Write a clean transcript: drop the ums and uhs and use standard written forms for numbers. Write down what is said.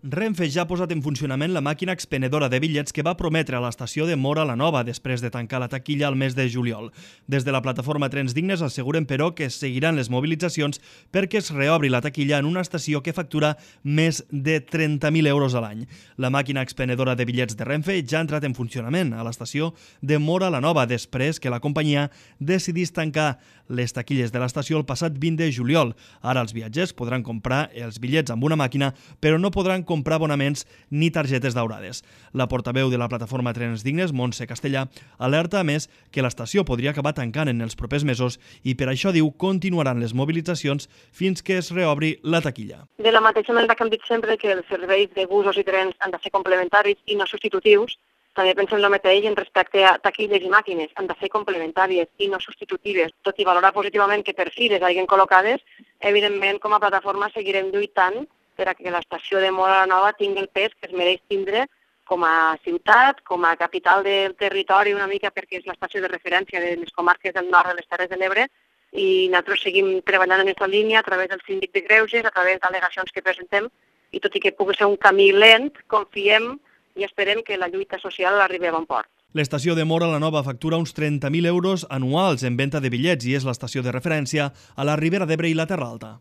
Renfe ja ha posat en funcionament la màquina expenedora de bitllets que va prometre a l'estació de Móra la Nova després de tancar la taquilla al mes de juliol. Des de la plataforma Trens Dignes asseguren, però, que seguiran les mobilitzacions perquè es reobri la taquilla en una estació que factura més de 30.000 euros a l'any. La màquina expenedora de bitllets de Renfe ja ha entrat en funcionament a l'estació de Móra la Nova després que la companyia decidís tancar les taquilles de l'estació el passat 20 de juliol. Ara els viatgers podran comprar els bitllets amb una màquina, però no podran comprar abonaments ni targetes daurades. La portaveu de la plataforma Trens Dignes, Montse Castellà, alerta a més que l'estació podria acabar tancant en els propers mesos i per això diu continuaran les mobilitzacions fins que es reobri la taquilla. De la mateixa manera que hem dit sempre que els serveis de busos i trens han de ser complementaris i no substitutius, també pensem el mateix en respecte a taquilles i màquines. Han de ser complementàries i no substitutives. Tot i valorar positivament que per fi les hagin col·locades, evidentment com a plataforma seguirem lluitant per a que l'estació de Móra la Nova tingui el pes que es mereix tindre com a ciutat, com a capital del territori, una mica perquè és l'estació de referència de les comarques del nord de les Terres de l'Ebre, i nosaltres seguim treballant en aquesta línia a través del síndic de Greuges, a través d'al·legacions que presentem, i tot i que pugui ser un camí lent, confiem i esperem que la lluita social arribi a bon port. L'estació de Móra la Nova factura uns 30.000 euros anuals en venda de bitllets i és l'estació de referència a la Ribera d'Ebre i la Terra Alta.